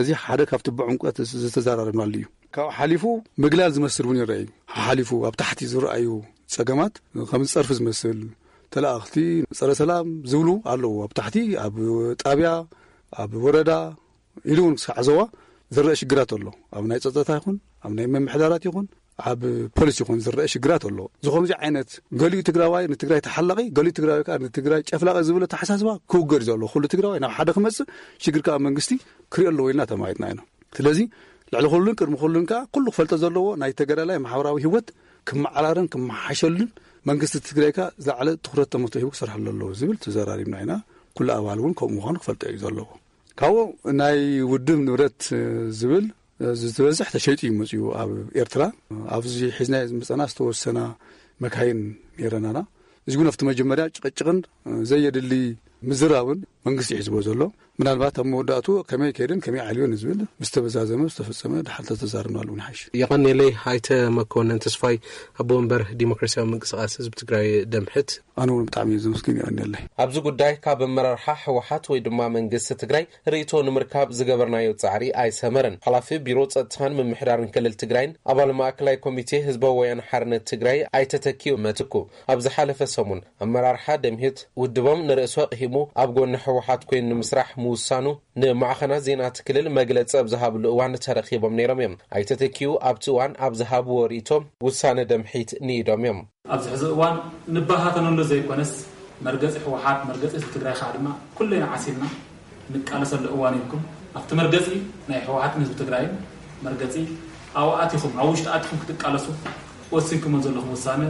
እዚ ሓደ ካብቲ ብዕምቆት ዝተዘራረብናሉ እዩ። ካብኡ ሓሊፉ ምግላል ዝመስል እውን ይረአ እዩ። ሓሊፉ ኣብ ታሕቲ ዝረኣዩ ጸገማት ከም ዝጸርፊ ዝመስል፣ ተለኣኽቲ፣ ጸረ ሰላም ዝብሉ ኣለዉ። ኣብ ታሕቲ፣ ኣብ ጣብያ፣ ኣብ ወረዳ ኢሉ እውን ክሳዕ ዞባ ዝረአ ሽግራት ኣሎ። ኣብ ናይ ጸጥታ ይኹን፣ ኣብ ናይ ምምሕዳራት ይኹን፣ ኣብ ፖሊስ ይኹን ዝረአ ሽግራት ኣሎ። እዚ ከምዚ ዓይነት ገሊኡ ትግራዋይ ንትግራይ ተሓላቒ፣ ገሊኡ ትግራዋይ ከኣ ንትግራይ ጨፍላቒ ዝብል ኣተሓሳስባ ክውገድ እዩ ዘሎ። ኩሉ ትግራዋይ ናብ ሓደ ክመጽእ፣ ሽግር ከኣ መንግስቲ ክሪኦ ኣለዎ ኢልና ተማይጥና ኢና። ስለዚ ልዕሊ ኩሉን ቅድሚ ኩሉን ከኣ ኩሉ ክፈልጦ ዘለዎ ናይ ተጋዳላይ ማሕበራዊ ህይወት ክመዓራረን ክመሓሸሉን መንግስቲ ትግራይ ከኣ ዝለዓለ ትኹረት ተመስጦ ሂቡ ክሰርሐሉ ኣለዎ ዝብል ተዘራሪብና ኢና። ኩሉ ኣባል እውን ከምኡ ምዃኑ ክፈልጦ እዩ ዘለዎ። ካብኡ ናይ ውድብ ንብረት ዝብል ዝበዝሕ ተሸይጡ እዩ መፅኡ ኣብ ኤርትራ። ኣብዚ ሒዝና ዝመፀና ዝተወሰና መካይን ነይረናና። እዚ እውን ኣብቲ መጀመርያ ጭቕጭቕን ዘየድሊ ምዝራብን መንግስቲ እዩ ሒዝዎ ዘሎ። ምናልባት ኣብ መወዳእቱ ከመይ ከይደን ከመይ ዓልዮን ዝብል ምስ ተበዛዘመ ዝተፈጸመ ድሓር ተተዛርብናሉ እውን ይሓይሽ። የቐንየለይ ኣይተ መኮነን ተስፋይ፣ ኣቦ ወንበር ዲሞክራሲያዊ ምንቅስቓስ ህዝቢ ትግራይ ደምሕት። ኣነ እውን ብጣዕሚ እየ ዘመስግን፣ የቐንየለይ። ኣብዚ ጉዳይ ካብ ኣመራርሓ ህወሓት ወይ ድማ መንግስቲ ትግራይ ርእይቶ ንምርካብ ዝገበርናዮ ጻዕሪ ኣይሰመረን። ሓላፊ ቢሮ ጸጥታን ምምሕዳርን ክልል ትግራይን ኣባል ማእከላይ ኮሚቴ ህዝባዊ ወያነ ሓርነት ትግራይ ኣይተ ተኪኡ መትኩ ኣብ ዝሓለፈ ሰሙን ኣመራርሓ ደምሂት ውድቦም ንርእሱ ኣቕሂሙ ኣብ ጎኒ ህወሓት ኮይኑ ንምስራሕ ምውሳኑ ንማዕኸናት ዜና እቲ ክልል መግለጺ ኣብ ዝሃብሉ እዋን ተረኺቦም ነይሮም እዮም። ኣይተ ተኪኡ ኣብቲ እዋን ኣብ ዝሃብዎ ርእይቶ ውሳነ ደምሒት ንኢዶም እዮም። ኣብዚ ሕዚ እዋን ንበታተነሉ ዘይኮነስ፣ መርገጺ ህወሓት፣ መርገጺ ህዝቢ ትግራይ ከዓ ድማ ኩለና ዓሲልና ንቃለሰሉ እዋን ኢልኩም ኣብቲ መርገጺ ናይ ህወሓትን ህዝቢ ትግራይን መርገጺ ኣብኡ ኣቲኹም፣ ኣብ ውሽጢ ኣቲኹም ክትቃለሱ ወሲንኩሞ ዘለኹም ውሳነ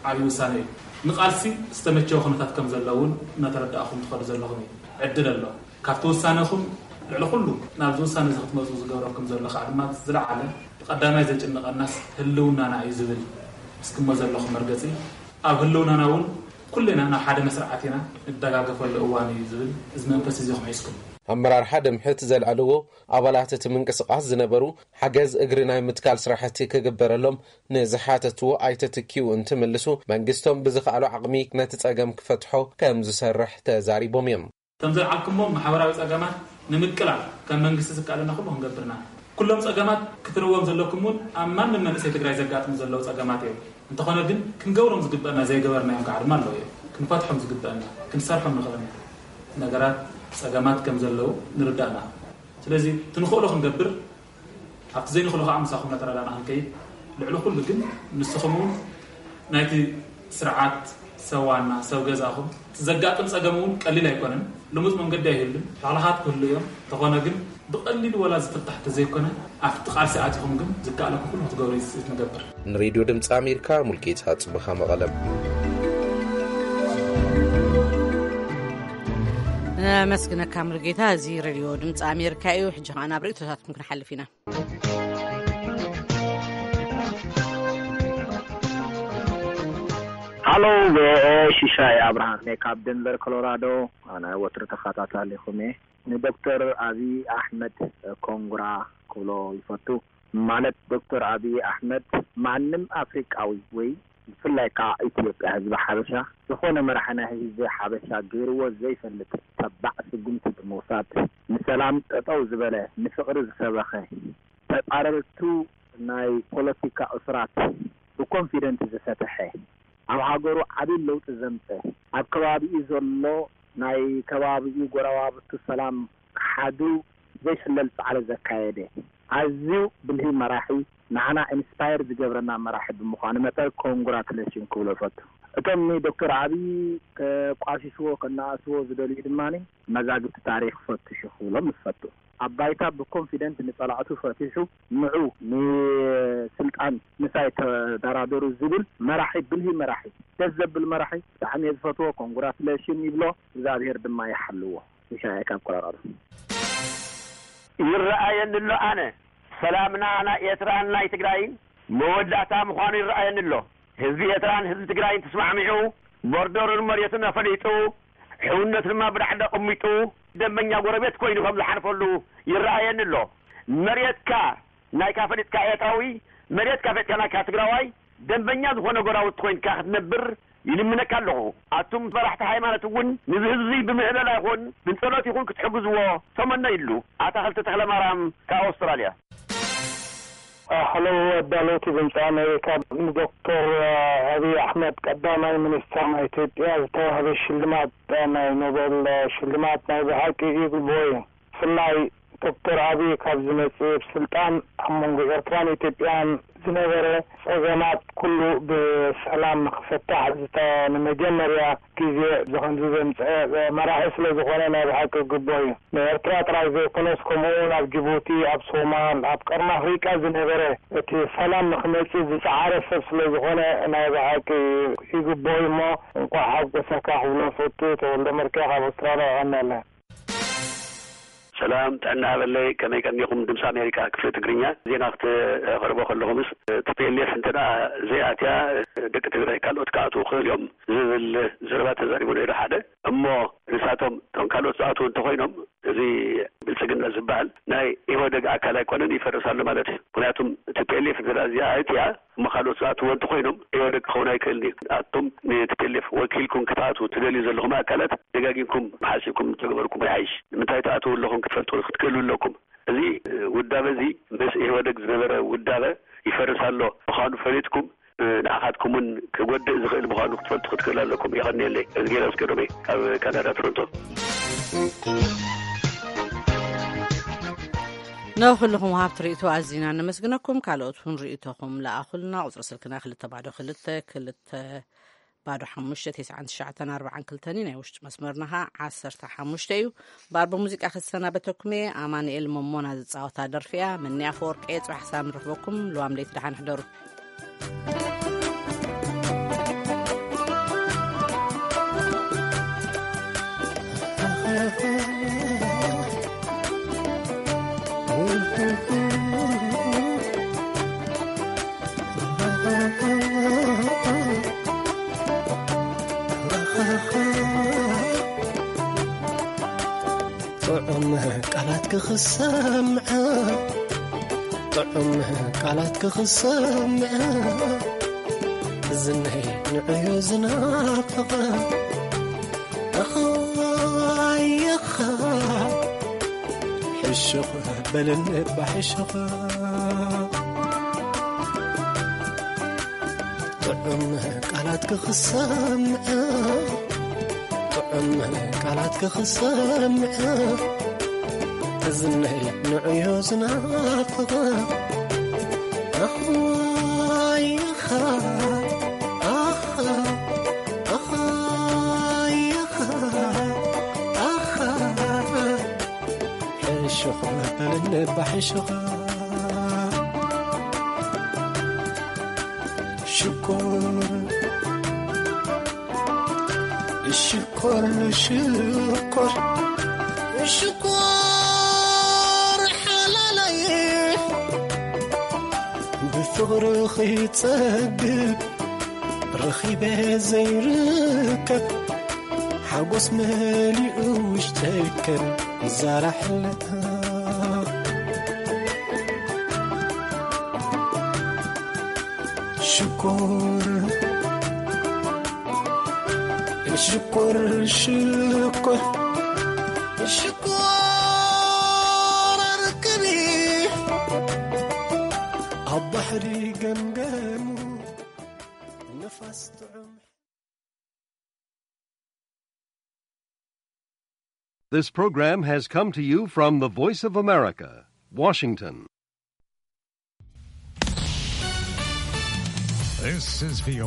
ዓብዪ ውሳነ እዩ። ንቃልሲ ዝተመቸወ ኩነታት ከም ዘሎ እውን እናተረዳእኹም ትኸዱ ዘለኹም እዩ። ዕድል ኣሎ። ካብቲ ውሳነኹም ልዕሊ ኩሉ ናብዚ ውሳነ እዚ ክትመፁ ዝገብረኩም ዘሎ ከዓ ድማ ዝለዓለ ብቐዳማይ ዘጭንቐናስ ህልውናና እዩ ዝብል እስክሞ ዘለኹም መርገፂ፣ ኣብ ህልውናና እውን ኩልና ናብ ሓደ መስርዓት ኢና ንደጋገፈሉ እዋን እዩ ዝብል እዚ መንፈስ እዚ ኢኹም ሒዝኩም። ኣመራርሓ ደምሕት ዘልዐልዎ ኣባላት እቲ ምንቅስቓስ ዝነበሩ ሓገዝ እግሪ ናይ ምትካል ስራሕቲ ክግበረሎም ንዝሓተትዎ ኣይተ ትኪኡ እንትምልሱ፣ መንግስቶም ብዝኸኣሎ ዓቕሚ ነቲ ጸገም ክፈትሖ ከም ዝሰርሕ ተዛሪቦም እዮም። ከም ዘልዓልኩሞ ማሕበራዊ ጸገማት ንምቅላል ከም መንግስቲ ዝከኣለና ኩሉ ክንገብርና። ኩሎም ጸገማት ክትርዎም ዘለኩም እውን ኣብ ማንም መንእሰይ ትግራይ ዘጋጥሙ ዘለዉ ጸገማት እዮም። እንተኾነ ግን ክንገብሮም ዝግበአና ዘይገበርናዮም ከዓ ድማ ኣለዉ እዮም። ክንፈትሖም ዝግበአና፣ ክንሰርሖም ንኽእለና ነገራት፣ ጸገማት ከም ዘለዉ ንርዳእና። ስለዚ እቲ ንኽእሎ ክንገብር፣ ኣብቲ ዘይንኽእሎ ከዓ ምሳኹም እናተረዳእና ክንከይድ፣ ልዕሊ ኩሉ ግን ንስኹም እውን ናይቲ ስርዓት ሰብ ዋና፣ ሰብ ገዛኹም፣ እቲ ዘጋጥም ጸገም እውን ቀሊል ኣይኮነን። ልሙጽ መንገዲ ኣይህሉን። ላዕልኻት ክህሉ እዮም። እንተኾነ ግን ብቐሊሉ ወላ ዝፍታሕ ተዘይኮነ፣ ኣብቲ ቃልሲ ኣቲኹም ግን ዝከኣለኩም ኩሉ ክትገብሩ እዩ ትጽቢት ንገብር። ንሬድዮ ድምፂ ኣሜሪካ ሙልጌታ ጽብኻ መቐለም። ነመስግነካ ሙልጌታ። እዚ ሬድዮ ድምፂ ኣሜሪካ እዩ። ሕጂ ኸዓ ናብ ርእይቶታትኩም ክንሓልፍ ኢና። ሃሎ፣ ቪኦኤ፣ ሽሻይ ኣብርሃም እየ ካብ ደንቨር ኮሎራዶ። ኣነ ወትሩ ተኸታታሊኹም እየ። ንዶክተር ኣብይ ኣሕመድ ኮንግራ ክብሎ ይፈቱ። ማለት ዶክተር ኣብይ ኣሕመድ ማንም ኣፍሪቃዊ ወይ ብፍላይ ከዓ ኢትዮጵያ ህዝቢ ሓበሻ ዝኾነ መራሒ ናይ ህዝቢ ሓበሻ ገይርዎ ዘይፈልጥ ተባዕ ስጉምቲ ብምውሳድ ንሰላም ጠጠው ዝበለ ንፍቕሪ ዝሰበኸ ተጻረርቱ ናይ ፖለቲካ እሱራት ብኮንፊደንት ዝፈተሐ ኣብ ሃገሩ ዓብይ ለውጢ ዘምፀ ኣብ ከባቢኡ ዘሎ ናይ ከባቢኡ ጎረባብቱ ሰላም ክሓድሩ ዘይሕለል ፃዕሪ ዘካየደ ኣዝዩ ብልሂ መራሒ ንዓና ኢንስፓየር ዝገብረና መራሒ ብምዃኑ መጠን ኮንግራቱሌሽን ክብሎ እፈቱ። እቶም ንዶክተር ኣብይ ከቋሽሽዎ ከነኣስዎ ዝደልዩ ድማ መዛግብቲ ታሪኽ ፈትሹ ክብሎም እፈቱ። ኣብ ባይታ ብኮንፊደንት ንጸላእቱ ፈቲሑ ንዑ ንስልጣን ምሳይ ተደራደሩ ዝብል መራሒ ብልሂ መራሒ ደስ ዘብል መራሒ ብጣዕሚ እየ ዝፈትዎ። ኮንግራቱሌሽን ይብሎ እግዚኣብሔር ድማ ይሓልዎ። ይሻያ ካብ ኮሎራዶ። ይረኣየኒ ኣሎ ኣነ ሰላምና ናይ ኤርትራን ናይ ትግራይን መወዳእታ ምዃኑ ይረኣየኒ ኣሎ። ህዝቢ ኤርትራን ህዝቢ ትግራይን ተስማዕሚዑ ቦርደሩን መሬቱን ኣፈሊጡ ሕውነቱ ድማ ብዳዕዳ ኣቐሚጡ ደንበኛ ጎረቤት ኮይኑ ከም ዝሓልፈሉ ይረኣየኒ ኣሎ። መሬትካ ናይካ ፈሊጥካ ኤርትራዊ መሬትካ ፈሊጥካ ናይካ ትግራዋይ ደንበኛ ዝኾነ ጎራውቲ ኮይንካ ክትነብር ይልምነካ ኣለኹ። ኣቱም መራሕቲ ሃይማኖት እውን ንዚ ህዝቢ ብምዕለላ ይኹን ብጸሎት ይኹን ክትሕግዝዎ ተመነይሉ። ኣታኽልቲ ተኽለማርያም ካብ ኣውስትራልያ። ሀሎ ኣዳለውቲ ድምፂ ኣሜሪካ ንዶክተር ኣብይ ኣሕመድ ቀዳማይ ሚኒስተር ናይ ኢትዮጵያ ዝተዋህበ ሽልማት ናይ ኖቤል ሽልማት ናይ ብሓቂ ይግብኦ እዩ። ብፍላይ ዶክተር ኣብይ ካብ ዝመፅእ ስልጣን ኣብ መንጎ ኤርትራን ኢትዮጵያን ዝነበረ ፀገማት ኩሉ ብሰላም ንክፍታሕ ዝተ ንመጀመርያ ግዜ ብከምዚ ዘምፀአ መራሒ ስለዝኾነ ናይ ብሓቂ ግቡእ እዩ። ንኤርትራ ጥራይ ዘይኮነስ ከምኡ እውን ኣብ ጅቡቲ፣ ኣብ ሶማል፣ ኣብ ቀርኒ ኣፍሪቃ ዝነበረ እቲ ሰላም ንክመፅእ ዝፀዓረ ሰብ ስለዝኾነ ናይ ብሓቂ ይግብኦ እዩ እሞ እንኳዕ ሓጎሰካ ክብሎ ፈቱ። ተወልደ መርኪያ ካብ ኣውስትራልያ የቐንየለይ። ሰላም ጥዕና ሃበለይ ከመይ ቀኒኹም ድምፂ ኣሜሪካ ክፍሊ ትግርኛ ዜና ክተቕርቦ ከለኹምስ ቲፒኤልኤፍ እንተ ደኣ ዘይኣትያ ደቂ ትግራይ ካልኦት ክኣትዉ ክኽእል እዮም ዝብል ዘረባ ተዛሪቡ ነይሩ ሓደ እሞ ንሳቶም እቶም ካልኦት ዝኣትዉ እንተኾይኖም እዚ ብልፅግና ዝበሃል ናይ ኢህወደግ ኣካል ኣይኮነን ይፈርስ ኣሎ ማለት እዩ ምክንያቱም ቲፒኤልኤፍ እንተ ደኣ እዚኣ ኣትያ እሞ ካልኦት ዝኣትዎ እንተኾይኖም ኢህወደግ ክኸውን ኣይክእልን እዩ ኣቱም ንቲፒኤልኤፍ ወኪልኩም ክትኣትዉ ትደልዩ ዘለኹም ኣካላት ደጋጊምኩም ሓሲብኩም እንተገበርኩም ይሓይሽ ንምንታይ ትኣትዉ ኣለኹም ክትፈልጡ ክትክእሉ ኣለኩም እዚ ውዳበ እዚ ምስ ኢህወደግ ዝነበረ ውዳበ ይፈርስ ኣሎ ምዃኑ ፈሊጥኩም ንዓኻትኩም እውን ክጎድእ ዝኽእል ምዃኑ ክትፈልጡ ክትክእሉ ኣለኩም የቐንየለይ እዝጌር ኣስገዶመይ ካብ ካናዳ ቶሮንቶ ንኹልኹም ወሃብቲ ርእይቶ ኣዚና ነመስግነኩም። ካልኦት እውን ርእይቶኹም ለኣኹልና። ቁጽሪ ስልክና ክልተ ባዶ ክልተ ክልተ ባዶ ሓሙሽተ ተስዓን ትሽዓተን ኣርባዓን ክልተን እዩ። ናይ ውሽጢ መስመርና ኸዓ ዓሰርተ ሓሙሽተ እዩ። ባር ብሙዚቃ ክሰናበተኩም እየ። ኣማኑኤል መሞና ዝጻወታ ደርፊ እያ። መኒ ኣፈወርቂ እየ። ጽባሕ ክሳብ ንረኽበኩም ልዋም ለይቲ ደሓን ሕደሩ። ጥዑም ቃላት ክኽሰምዐ ጥዑም ቃላት ክኽሰምዐ ዝነይ ንዕዮ ዝናፍቐ ኣኻይኻ ሕሹኽ በልኒ ባሕሹኽ ጥዑም ቃላት ክኽሰምዐ ጥዑም ቃላት ክኽሰምዐ እዝነይ ንዕዮ ዝናፍቐ ኣኽዋይኻ ኣኻ ኣኻይኻ ኣኻ ሕሹኽ በልኒ ባሕሹኻ ሽኮር ሽኮር ሽኮር ሽኮር ሓላለይ ብፍቕርኺ ይጸግብ ረኺበ ዘይርከብ ሓጎስ መሊኡ ውሽጠይ ከም ዛራ ሕልታ። ሽኮር ሽኮር ሽኮር ሽኮር ርክቢ ኣብ ባሕሪ ገምገሙ ንፋስ ጥዑም። This program has come to you from the Voice of America, Washington. This is V O